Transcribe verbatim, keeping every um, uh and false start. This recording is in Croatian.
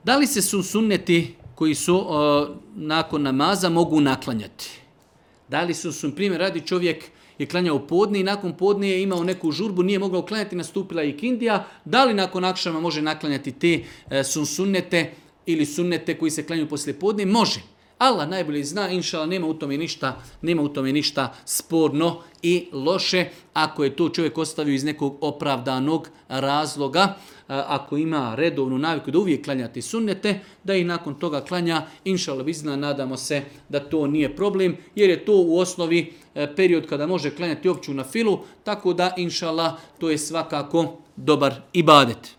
Da li se su sunneti koji su uh, nakon namaza mogu naklanjati? Da li su, su primjer radi, čovjek je klanjao podne i nakon podne je imao neku žurbu, nije mogao klanjati, nastupila je ikindija. Da li nakon akšama može naklanjati te uh, sun sunnete ili sunnete koji se klanjaju poslije podne? Može. Allah najbolje zna, inšala, nema u tome ništa, nema u tome ništa sporno i loše ako je to čovjek ostavio iz nekog opravdanog razloga. Ako ima redovnu naviku da uvijek klanjati sunnete, da ih nakon toga klanja, inšala bizna, nadamo se da to nije problem, jer je to u osnovi period kada može klanjati opću na filu, tako da inšala to je svakako dobar ibadet.